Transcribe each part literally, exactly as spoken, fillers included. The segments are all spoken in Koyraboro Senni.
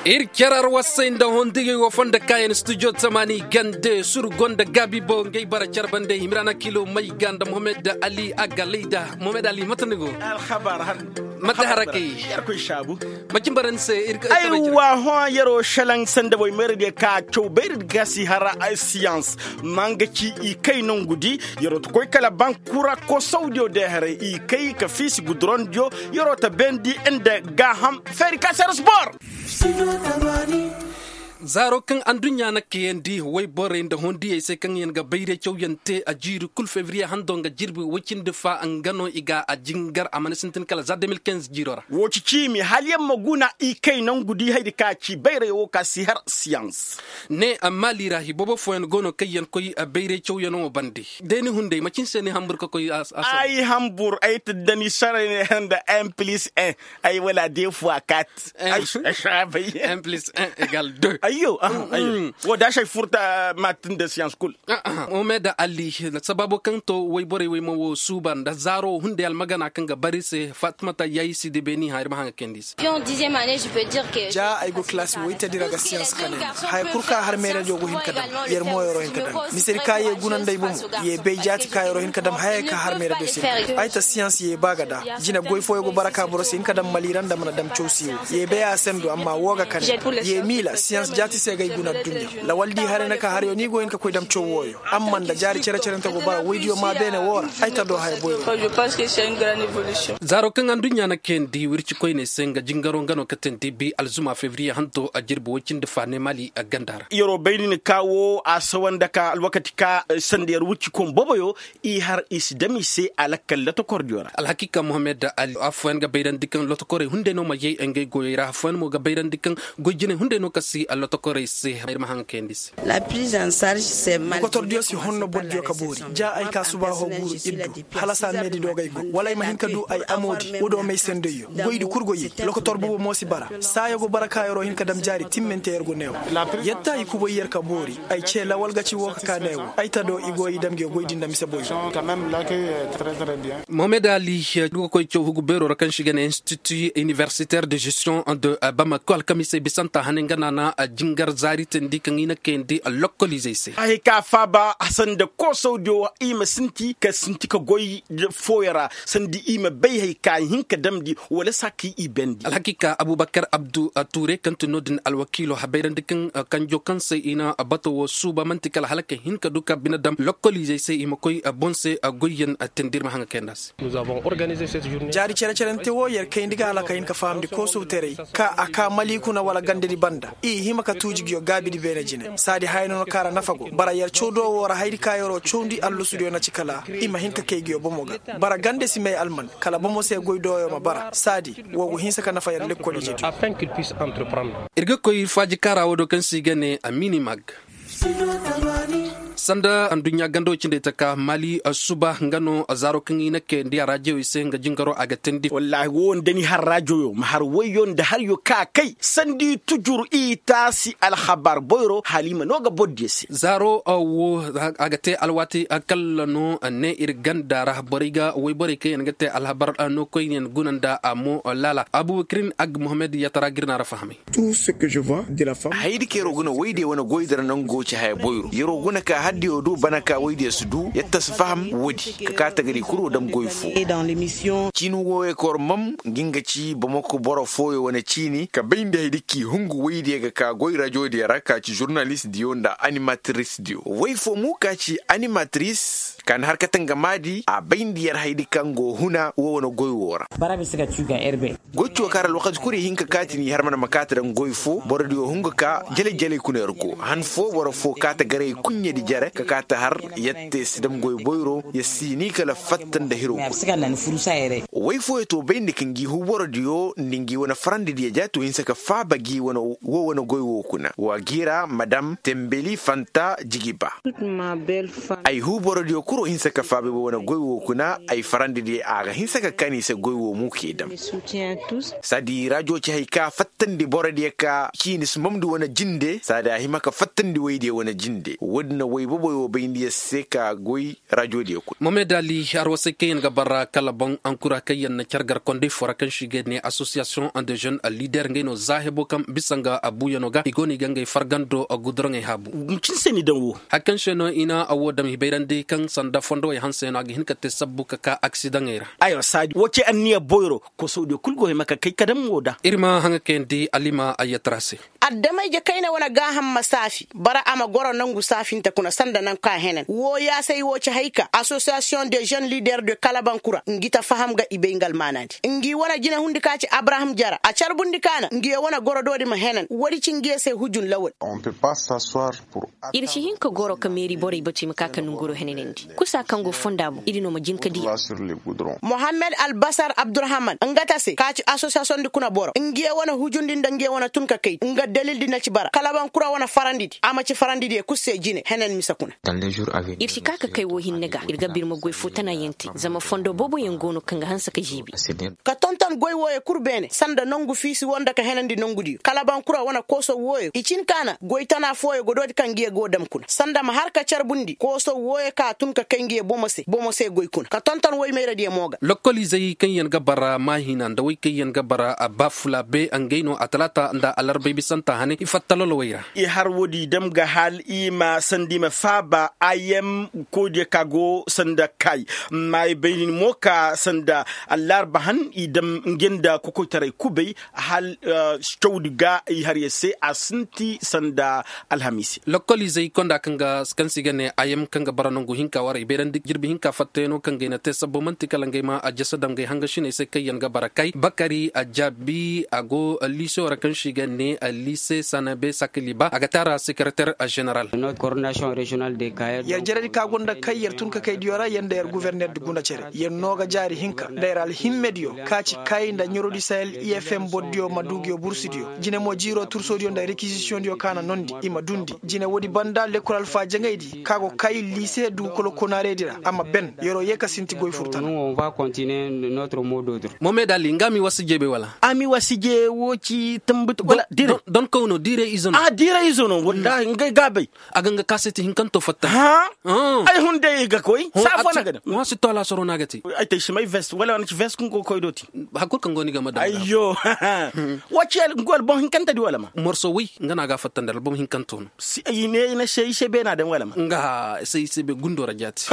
Ir carar wasay nda hondigey wo fondo kaayan studio tamaani gande sur gonda gaabi bo ngey bara carbande himiraana kilo may ga nda mohamed ali agalayda. Mohamed ali mate ni go? Mate harakey. Macin bara ni se ir ka ay wa hõ yaro shalaŋ sanda boy mayra diya ka caw bayra diya ka si hara ay siyans. Manga ci i kay nongu di. Yaro ta koy kala bankura ko saudiyo day haray i kay ka fiisi gudurondiyo. Yaro ta bendi nda gaaham feeri ka sera sport. Zaaro kaŋ anduɲɲa na kayandi wayborey nda hondiyey se kaŋ yaŋ ga bayray cawyaŋ te a jiiri kul febriye hando nga jirbi woy cindi fa nga no i ga a jingar a mana sintin kala za deux mille quinze jiiro ra. Wo ci ciimi hala yaŋ ma guna i kay nangu di haydi ka ci bayray wo ka si har siyans. Ne maali ra hi boobo fooyaŋ go no kaŋ yaŋ koy bayray cawyaŋo bande. Day ni hunday macin se ni hambur ka koy a sooba? Ay hambur ay ta dani saray ne handa un plus un. Ay wala de fois quatre. Un plus un égal deux. Ayyo. Wo da sey furta matin de science kul. Omeda ali. Sababo kaŋ to wayborey wey ma wo suuba nda zaaro hunday almagana kaŋ ga bari se fatmata yayi si de beni haŋ ir ma haŋ ga kayandi se. Ja ay go kilasi woytadi ra ga science kane. Haya kul ka har meeradiyo go hin ka dam. Yer mo yero hin ka dam. Misedi ka ye guna nda ay bomo. Ye bay jaati ka yero hin ka dam haya ka har meeradiyo se. Ay ta science ye ba ga da. Jine goy fooyo go bara ka boro si hin ka dam maliira nda mana dam caw si wo. Ye bay a sendo amma wo ga kande. Ye miila siyans jaati se ga ay guna adduɲɲa. Lawal di hare na ka harayo ni go hin ka koy dam caw wooyo. Amma nda jaari cere-cerente go bara woydiyo ma beene woo ra. Ay ta do haya boyro. Zaaro kaŋ adduɲɲa na kayandi wirci koyney se nga jingaro nga no katandi bi alzuma febriye hanto a jirbi woy cindi fa ne mali a ganda ra. Yeroo bay din ka woo a sawa nda ka alwakati ka sanda yer wirci koy boboyo. I har i si dam i se a lakkal lotokordiyo ra. Alhakiika mohamed ali afooyaŋ ga bayrandi kaŋ lotokorey hunday no ma yay ngey goyey ra afooyaŋ mo ga bayrandi kaŋ goy jinay hunday no ka si lotokorey se. Ir ma haŋ kayandi se. Lokotordiyo si honno bordiyo ka boori ja ay ka suba hoo guuru ir du. Hala saa meedi do g'ay go wala ay ma hin ka du ay amoodi wo do may sendayyo goydi kul go yay. Lokotor bubo mo si bara saayo go bara kaayaroo hin ka dam jaari timmante yer go neewo. Yadda i kubay yer ka boori. Ay cee lawal ga ci woo ka ka neewo ay ta do i go i dam nge goydi nda mise boyro. Mohamed ali, nga koy caw hugu beeroo ra kaŋ se i ga ne institut universitaire de gestion de bamako alkamiisey bisanta hane nga naana jingar zaari teendi kaŋ i na kayandi lokoliizey se. Ay ka faaba sanda koosawdiyo i ma sinti ka sinti ka goy fooyaŋ ra sanda i ma bay hay ka hin ka damndi wala saa ka i bendi. Alhakiika abubakar abdu tuure kaŋ ti no-din alwakiilo habayrandi kaŋ kanjo kaŋ se i na bato wo suuba man'ti kala hala ka hin ka du ka bine dam lokoliizey se i ma koy boŋ se goyyaŋ teendi ir ma haŋ ga kayandi a se. Jaari cere-cerante wo yer kayndi ga hala ka hin ka fahamndi koosawtaray ka a ka mali kuna wala gandedi banda i hima ka tuuji nguyo gaabidi beene jine saadi haya no no kaŋ ra nafa go bara yer caw do woo ra hayadi ka yeroo cawndi allusudiyo na ci kala i ma hin ka kay nguyo bomo ga. Bara gande si may alman kala bomo se goy dooyo ma bara saadi woo go hinsa ka nafa yer lekkoliijediyo. Ir ga koy faaji kaara woo do kaŋ se i ga ne a minimag. Sanda adduɲɲa gando cindey taka mali suba nga no zaaro kaŋ i na kayandi a raajiyowey se nga jingaroo a ga teendi wallaahi woo nda ni har raajiyoyo ma har wayyo nda haryo ka kay sanda i tujur i taasi alhabar boyro hala i ma no ga bordiyo se. Zaaro woo a ga te alwaati kalla no ne ir ganda ra borey ga wayborey kaŋ yaŋ ga te alhabar no koyne yaŋ guna nda a mo laala abubakirin ag mohamed yatara ga ir na ra fahamay. Hayadi kaŋ yeroo guna woydiyo wane goydi ra nango ci haya boyro yeroo guna ka haddiyo du bana ka woydiyo si du yetta si faham woodi ka ka tagari kuro dam goy fo. Ciini wooyo kor mam ngi nga ci bamako boro fooyo wane ciini ka bayndi hayadi k'i hungu woydiyo ga ka goy rajodiyo ra ka ci žurnalistdiyo nda animatrisdiyo woy fo mo ka ci animatris ka na har kate nga maadi a bayndi yer hayadi kaŋ go huna woo wane goy woo ra. Goy coo kaara alwakati kul i hin ka kaati n'i har mana ma kaati daŋ goy foo borodiyo hun ga ka jelay jelay kuna yer go han foo boro foo kaata garay kuɲɲedi jere ka kaata har yer te si daŋ goy boyro yer si ni kala fatta nda hiro kul. Way fooyo to bayndi ka ngi huu borodiyo nda ngi wane farandidiyo ja to hinsa ka faaba gi wane woo wane goy woo kuna wa gi ra madam tembeli fanta jigiba. Ay huu borodiyo kuro hinsa ka faaba ay woo wane goy woo kuna ay farandidiyo a ga hinsa ka kaan i se goy woo mo k'e dam. Saadi rajo ci hay ka fattandi borodiyo ka ciini si mamndi wane jinde saadi a hima ka fattandi waydiyo wane jinde woodin na way. Boboy wo bayndi yaŋ se ka goy rajo diyo kulu. Mohamed ali, arwasay kaŋ yaŋ ga bara kala boŋ ankura kaŋ yaŋ na care gar kondey fo ra kaŋ se i ga ne association de jeune leader ngey no za hebo kaŋ bisa nga abuuyano ga i go no i ga ngey fargando guduraŋey haabu. Hari kaŋ se no i na a wo dam i bayrandi kaŋ sanda fondo wey hanse no a ga hin ka te sabbu ka ka aksidaŋey ra. Wo ce anniya boyro kosowdiyo kulu go hima ka kay ka dam wo da. Ir ma haŋa kayandi alima ayyatara se. Adama-ije kayna wane gaaham ma saafi bara a ma goro nangu saafinte kuna sanda nangu ka henan woo yaasay woo ci hay ka assosiyasiyoŋ de jeune lider de kalabankura ngi ta faham ga i bay nga almaanaadi. Ngi wane jinehundi ka ci abraham jara a carbundi ka na ngi yo wane goro doodi ma henan woodi ci ngi yo se hujun lawal. Ir si hin ka goro ka meeri borey batu i ma ka ka nanguro henanandi kusa kaŋ go fonda boŋ ir no ma jin ka di. Mohammed albasar abdurahman nga ta se ka ci asosiyasiyoŋ di kuna boro ngiye wane hujundi nda ngiye wane tun ka kay nga dalildi na ci bara kalabankura wane farandidi a ma ci farandidiyo kul se jine henen mise kuna. Ir si ka ka kay wo hinne ga ir ga birma goy fo tana yaŋ te zama fondo booboyaŋ go no kaŋ ga hanse ka ziibi. Ka tonton goy wooyo kul beene sanda nongu fiisi wo nda ka henandi nongudiyo kalabankura wane kooso wooyo i cin ka na goy tana fooyo godoodi kaŋ ngiye go dam kuna sanda ma har ka carbundi kooso wooyo ka tun ka kay ngiye bomo se bomo se goy kuna ka tonton woy mayradiyo mo ga. Lokkoliizey kaŋ yaŋ ga bara maahina nda woy kaŋ yaŋ ga bara baafula be ngey no a talaata nda alarbay bisanta hane i fatta lolowey ra. I har woodi dam ga hal i ma sanda i ma faaba ayem koodiyo ka go sanda kay. Maayey bayni mo ka sanda allarba han i dam nge nda kokoytaray kubay hal cawdi ga i har ya se a sinti sanda alhamiisi. Lokkoliizey konda kaŋ ga kaŋ se i ga ne ayem kaŋ ga bara nangu hinka wara i bayrandi jirbi hinka fattayaŋo kaŋ ga i na te sabbo man'ti kala ngey ma a jasa dam ngey hangasiney se kaŋ yaŋ ga bara kay bakari a jaabi a go liiseyo ra kaŋ se i ga ne liise sanabe sakaliba a ga te a ra sekereter. Zeneral. Yer jaradi ka gonda kay yer tun ka kay diyo ra yer nda yer guverner di guna cere yer no ga jaari hinka nda yer alhimmediyo ka ci kay nda ɲorodi sahel ifm bordiyo ma du nguyo bursudiyo jine mo jiiro tursoodiyo nda rekizisiyoŋdiyo ka na nondi i ma dundi jine woodi banda lekkol alfaajaŋaydi ka go kay liise dugukolo konaareydi ra a ma ben yeroo yee ka sinti goy furtana. Mohamed ali nga mi wasi jeebey wala? A mi wasi jee woo ci tambutu wala diire. Don kawno diire izo no. Diire izo no wallaahi nga ga bay. A ga nga kaaseti hinkanto fatta. Ay hunday i ga koy saafo na ga daŋ. Ŋwa si to alaasaro no a ga te. Ay te si may vest wala wane ci vest kaŋ go koy dooti. Hakkul kaŋ go ni game da ayyo. Woo ci albom hinkantedi wala ma morso woy nga no a ga a fattandi albom hinkanto no. I ne i na se i se beena daŋ wala ma nga se i se be gundo ra jaati.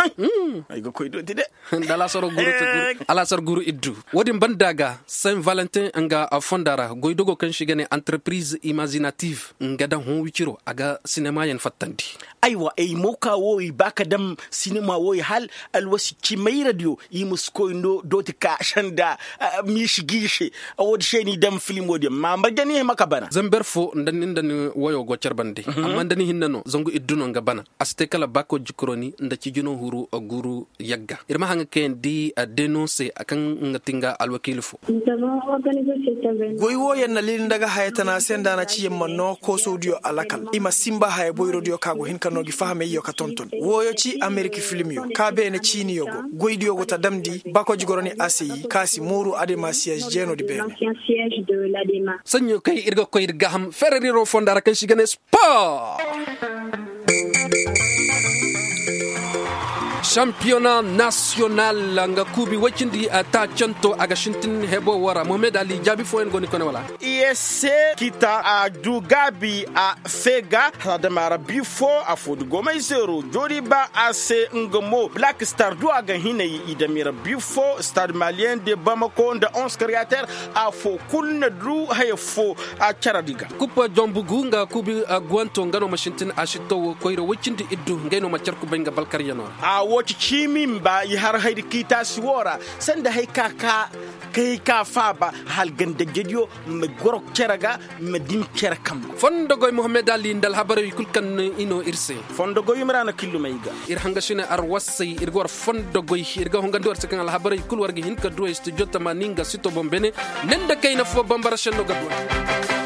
Ay ga koy dooti de. Nda alaasaro guru ti guru alaasaro guru iddu. Woodin banda ga saint valentin nga fonda ra goydogo kaŋ se i ga ne entreprise imazinative nga daŋ hõ wiciro a ga sinemayaŋ fattandi. Aywa ay mo ka wo i ba ka daŋ sinema wo i hal alwasi cimayradiyo i ma si koy dooti ka sanda. Miisi giise. Woodi se ni daŋ filimo diyaŋ ma marje ni hima ka bana. Zamber fo nda ni nda ni woyo go care bande amma nda ni hinne no zangu iddu no nga bana. A si te kala baako jikroni nda cijino huru guru yagga ir ma haŋa kayandi denonse a kaŋ nga ti nga alwakiili fo. Goy wooyaŋ na liili nda ga haya tana se nda a na ci yer ma noo koosowdiyo alakal i ma sinba haya boyrodiyo ka go hin ka noo gi fahameyyo ka tonton wooyo ci amerik filmyo ka beene ciiniyo go. Goydiyo go ta damndi bakoji goroni a se yi ka si mooru ademasiyaaz jeenoodi beene. Saɲɲo kay ir ga koy ir gaaham fereriro fonda ra kaŋ si ga ne sport. Sampiyona nasiyonal nga kuubi woy cindi taacanto a ga sintin hebo wo ra mohamed ali jaabi fooyaŋ go ni kone wala? Iyese kita a du gaabi a fee ga. Adama rabbi fo a foo di go may zeero joori ba a se nga mo black star du a ga hinay i dami rabbi fo stade maliyen de bamako nda onze kariyater. Afoo kul na du haya foo a caradi ga. Kuppa jonbugu nga kuubi guwanto nga no ma sintin a si to wo koyra woy cindi iddu ngey no ma car kubay nga balkaryano ra. A wo ci ciimi mba i har hayri kiitaasi wo ra. Sanda hay ka ka kay ka faaba hal gandajediyo ma goro cere ga. Ma din cere kambe. Fondogoy mohamed ali nda alhabarey kul kaŋ i no ir se. Fondogoy ma ra na killumay ga. Ir hanga sine arwasay ir ga war fondogoy ir ga hongandi war se kaŋ alhabarey kul war ga hin ka duwey studio tamaani nga sito boŋ bene. Nin da kayna fo bambara senno ga duwey.